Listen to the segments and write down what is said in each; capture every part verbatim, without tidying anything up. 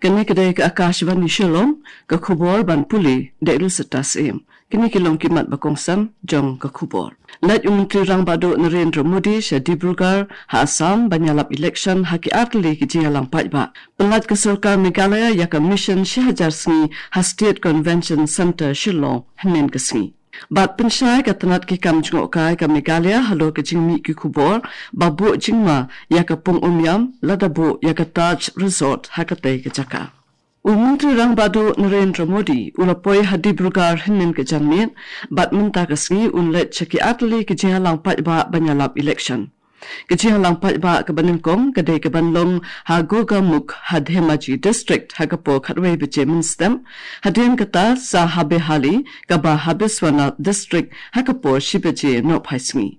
Kane ka dei ka Akashvani Shillong, ka khubor ban pule da i Lucetta Syiem. Kine ki long ki mat ba kongsan jong ka khubor. Leit u Myntri Rangbah Duh Narendra Modi sha Dibrugarh ha Assam ban ïalap election ha ki artylli ki jingïalang paidbah. Pynlait ka sorkar Meghalaya ïa ka mission shi hajar sngi ha State Convention Centre Shillong hynnin ka sngi. Bad pynshai ka tnat ki kam jngohkai ka Meghalaya halor ka jingmih ki khubor ba buh jingma ïa ka pung Umiam lada buh ïa ka Taj Resort ha katei ka jaka. U Myntri Rangbah Duh Narendra Modi u la poi ha Dibrugarh hynnin ka janmiet, bad mynta ka sngi un leit sha ki artylli ki jingïalang paidbah ban ïalap election. Ka jingïalang paidbah kaba nyngkong ka dei kaban long ha Gogamukh ha Dhemaji District ha ka por khatwei baje mynstep, hadien kata sa ha Behali kaba ha Biswanath District ha ka por shi baje nohphai sngi.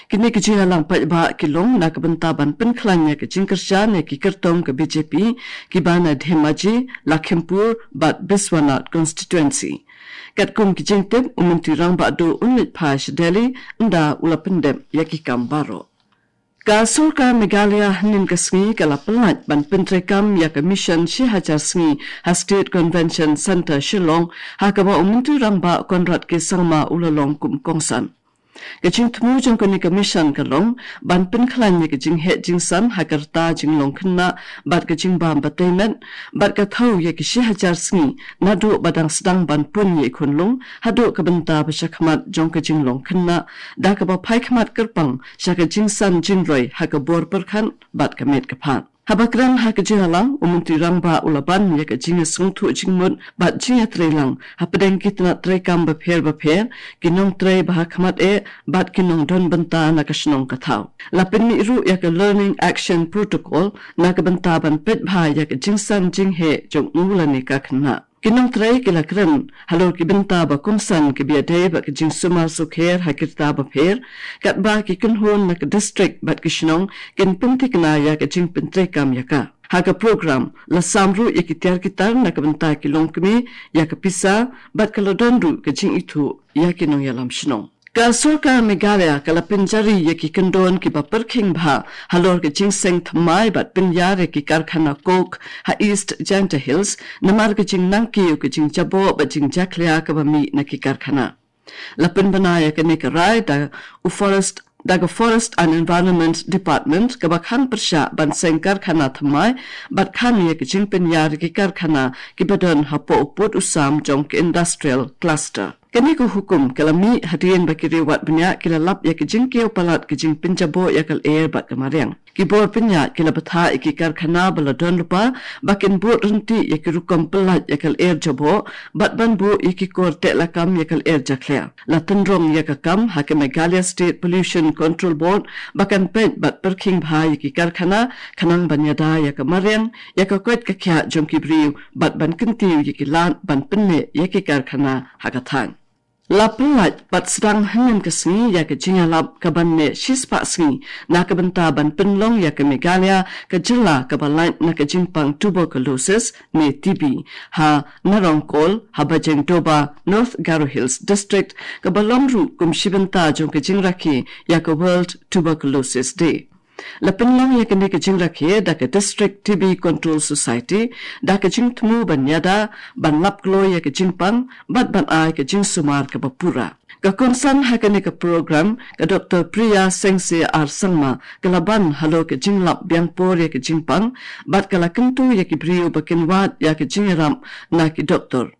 Kine ki jingïalang paidbah ki long na ka bynta ban pynkhlaiñ ïa ka jingkyrshan ïa ki kyrtong ka B J P kiba na Dhemaji, Lakhimpur bad Biswanath constituency. Katkum ki jingtip, u Myntri Rangbah Duh un leit phai sha Delhi ynda u la pyndep ïa ki kam baroh. Ka sorkar Meghalaya hynnin ka sngi ka la pynlait ban pyntreikam ïa ka mission shi hajar sngi ha State Convention Centre Shillong, ha kaba u Myntri Rangbah Conrad K Sangma u la long kum kongsan. Ka jingthmu jong kane ka mission ka long ban pynkhlaiñ ïa ka jingheh jingsan ha ka rta jinglong khynnah bad ka jingbam batei met, bad ka thew ïa ki shi hajar sngi naduh ba dang sdang ban pun ïa i khunlung haduh ka bynta ba shakhmat jong ka jinglong khynnah, da kaba phai khmat kyrpang sha ka jingsan jingroi ha ka bor pyrkhat bad ka met ka phad. Haba kren ha ka jingïalang, u Myntri Rangbah u la ban ïa ka jingïasngewthuh jingmut bad jingïatreilang hapdeng ki tnat treikam bapher bapher, ki nongtrei ba ha khmat eh bad ki nongdon bynta na ka shnong ka thaw. La pynmih ruh ïa ka Learning Action Protocol na ka bynta ban peit bha ïa ka jingsan jingheh jong u lane ka khynnah. Ki nongtrei ki la kren halor ki bynta ba kongsan kiba ïadei bad ka jingsumar sukher ha ki rta bapher, katba ki kynhun na ka district bad ki shnong kin pynthikna ïa ka jingpyntreikam ïa ka. Ha ka program la sam ruh ïa ki tiar ki tar na ka bynta ki longkmie ïa ka pisa, bad ka la don ruh ka jingithuh ïa ki nongïalam shnong. Ka sorkar Meghalaya ka la pynjari ïa ki kyndon kiba pyrkhing bha halor ka jingseng thymmai bad pynïar ïa ki karkhana coke ha East Jaintia Hills, namar ka jingnangkiew ka jingjaboh bad jingjakhlia kaba mih na ki karkhana. La pynbna ïa kane ka rai da u Forest, da ka Forest and Environment Department, kaba khang pyrshah ban seng karkhana thymmai bad khang ïa ka jingpynïar ïa ki karkhana kiba don hapoh u pud u sam jong ka Industrial Cluster. Kane ka hukum ka la mih hadien ba ki rangbah bniah ki la lap ïa ka jingkiew palat ka jingpynjaboh ïa ka lyer bad ka mariang. Ki bor bniah ki la bthah ïa ki karkhana ba la don lypa ba kin bud ryntih ïa ki rukom pyllait ïa ka lyer jaboh, bad ban buh ïa ki kor teh lakam ïa ka lyer jakhlia. La tynrong ïa ka kam ha ka Meghalaya State Pollution Control Board ba kan peit bad pyrkhing bha ïa ki karkhana, khnang ban ïada ïa ka mariang, ïa ka koit ka khiah jong ki briew, bad ban kyntiew ïa ki lad ban pynneh ïa ki karkhana ha ka thaiñ. La pynlait bad sdang hynnin ka sngi ïa ka jingïalap kaban neh shispah sngi na ka bynta ban pynlong ïa ka Meghalaya ka jylla kaba lait na ka jingpang tuberculosis ne T B ha Narongkol ha Bajengdoba, North Garo Hills District, kaba long ruh kum shi bynta jong ka jingrakhe ïa ka World Tuberculosis Day. La pynlong ïa kane ka jingrakhe da ka District T B Control Society, da ka jingthmu ban ïada, ban lap kloi ïa ka jingpang, bad ban ai ka jingsumar kaba pura. Ka kongsan ha kane ka program, ka Doctor Priya Sengse R Sangma, ka la ban halor ka jinglap biang por ïa ka jingpang, bad ka la kyntu ïa ki briew ba kin wad ïa ka jingïarap na ki doktor.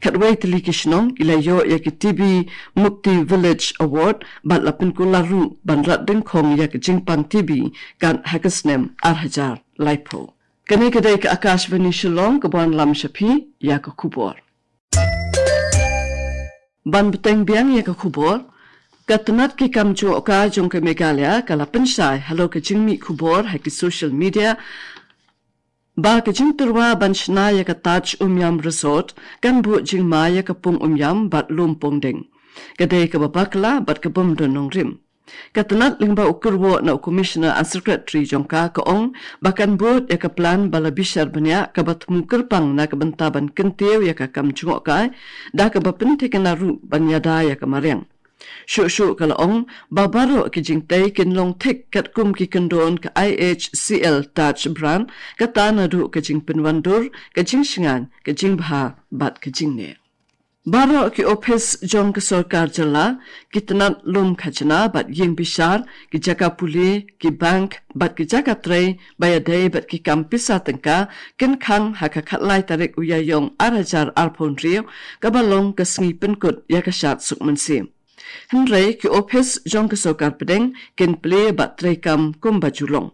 Katwei tylli ki shnong ki la ïoh ïa ki T B Mukti Village Award, bad la pynkular ruh ban rat dyngkhong ïa ka jingpang T B kat ha ka snem ar hajar laiphew. Kane ka dei ka Akashvani Shillong kaba wanlam sha phi ïa ka khubor. Ban bteng biang ïa ka khubor, ka tnat ki kam jngohkai jong ka Meghalaya ka la pynshai halor ka jingmih khubor ha ki social media ba ka jingtyrwa ban shna ïa ka Taj Umiam Resort kan buh jingma ïa ka pung Umiam bad lum pongdeng. Ka dei kaba bakla bad ka bym don nongrim. Ka tnat lyngba u kyrwoh na u Commissioner and Secretary jong ka, ka ong ba kan bud ïa ka plan ba la bishar bniah kaba thmu kyrpang na ka bynta ban kyntiew ïa ka kam jngohkai, da kaba pynthikna ruh ban ïada ïa ka mariang. Shuh shuh ka la ong ba baroh ki jingtei kin long thik katkum ki kyndon ka I H C L Dutch brand, kata naduh ka jingpynwandur, ka jingshngaiñ, ka jingbha bad ka jingneh. Baroh ki ophis jong ka sorkar jylla, ki tnat lum khajna bad ïing bishar, ki jaka pule, ki bank bad ki jaka trei ba ïadei bad ki kam pisa tyngka kin khang ha ka khatlai tarik u Ïaïong ar hajar arphew hynriew, kaba long ka sngi pynkut ïa ka shad suk mynsiem. Hynrei ki ophis jong ka sorkar pdeng kin plie bad treikam kumba ju long.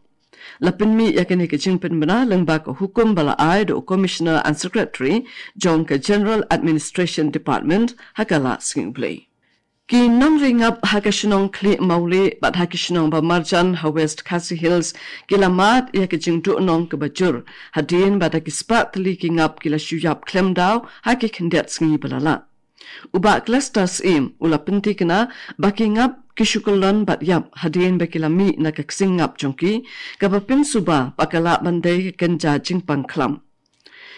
La pynmih ïa kane ka jingpynbna lyngba ka hukum ba la ai da u Commissioner and Secretary jong ka General Administration Department ha ka la Sngi U Blei. Ki nongri ngap ha ka shnong Khlieh Mawlieh bad ha ki shnong ba marjan ha West Khasi Hills ki la mad ïa ka jingduhnong kaba jur, hadien ba da ki spah tylli ki ngap ki la shu ïap khlem daw ha ki khyndiat sngi ba la leit. U Bah Clestus Syiem u la pynthikna ba ki ngap ki shu kyllon bad ïap hadien ba ki la mih na ka ksing ngap jong ki, kaba pynsuba ba ka lah ban dei ka kynja jingpang khlam.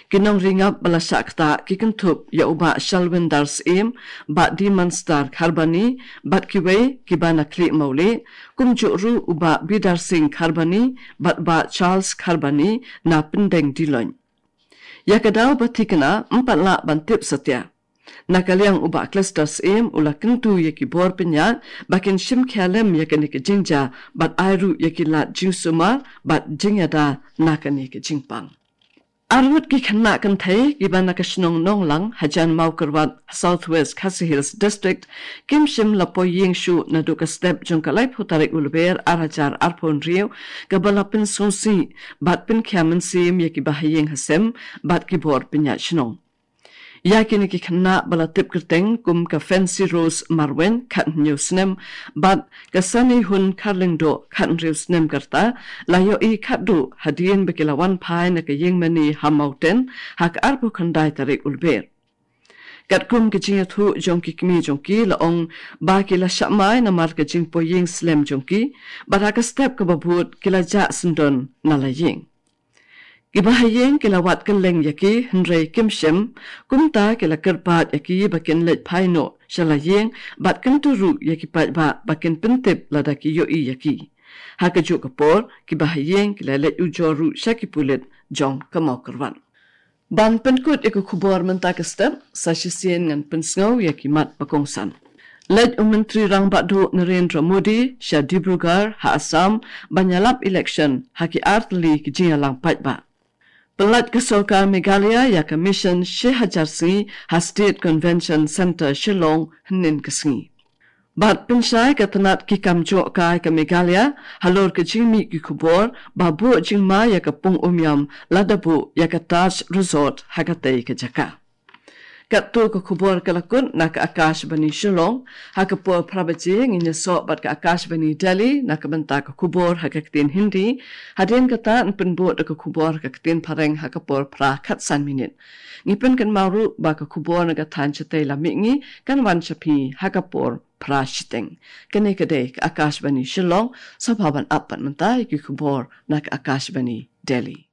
Ki nongri ngap ba la shah ktah ki kynthup ïa u Bah Shalwindar Syiem, Bah Dimanstar Kharbani bad kiwei kiba na Khlieh Mawlieh, kumjuh ruh u Bah Bidar Singh Kharbani bad Bah Charles Kharbani na Pyndeng Diloin. Ïa ka daw ba thikna ym pat lah ban tip satia. Na ka liang u Bah Clestus Syiem u la kyntu ïa ki bor pynïaid ba kin shim khia lem ïa kane ka jingjia bad ai ruh ïa ki lad jingsumar bad jingïada na kane ka jingpang. Arngut ki khynnah kynthei kiba na ka shnong Nonglang hajan Mawkyrwat, South West Khasi Hills District, kim shym la poi ïing shuh naduh ka step jong ka laiphew tarik u Lber ar hajar arphew hynriew, kaba la pynsngewsih bad pynkhia mynsiem ïa ki bahaïing hasem bad ki bor pynïaid shnong. Ïa kine ki khynnah ba la tip kyrteng kum ka Fancy Rose Marwein, khathynñiew snem, bad ka Sanihun Kharlyngdoh, khathynriew snem ka rta, la ïohi khatduh hadien ba ki la wan phai na ka ïing mane ha Mawten ha ka arphew khyndai tarik u Lber. Katkum ka jingïathuh jong ki kmie jong ki la ong ba ki la shah mai namar ka jingpoi ïing slem jong ki, bad ha ka step kaba bud ki la jah syndon na la ïing. Ki bahaïing ki la wad kylleng ïa ki hynrei kim shym, kumta ki la kyrpad ïa ki ba kin leit phai noh sha la ïing bad kyntu ruh ïa ki paidbah ba kin pyntip lada ki ïohi ïa ki. Ha kajuh ka por ki bahaïing ki la leit ujor ruh sha ki pulit jong ka Mawkyrwat. Ban pynkut ïa ka khubor mynta ka step, sa shisien ngan pynsngew ïa ki mat ba kongsan. Leit u Myntri Rangbah Duh Narendra Modi sha Dibrugarh ha Assam ban ïalap election ha ki artylli ki jingïalang paidbah. Pynlait ka sorkar Meghalaya ïa ka mission shi hajar sngi ha State Convention Centre Shillong hynnin ka sngi. Bad pynshai ka tnat ki kam joh kai ka Meghalaya halor ka jingmih ki khubor ba buh jingma ïa ka pung Umiam lada buh ïa ka Taj Resort ha katei ka jaka. Katto ka khubor ka la kut na ka Akashvani Shillong. Ha ka por phra baje ngin ïasoh bad ka Akashvani Delhi na ka bynta ka khubor ha ka ktien Hindi. Hadien kata yn pynbud da ka khubor ha ka ktien Phareng ha ka por phra khatsan minit. Ngi pynkynmaw ruh ba ka khubor na ka thaiñ shatei la mihngi kan wan sha phi ha ka por phra shiteng. Kane ka dei ka Akashvani Shillong. Sngewbha ban ap pat mynta ïa ki khubor na ka Akashvani Delhi.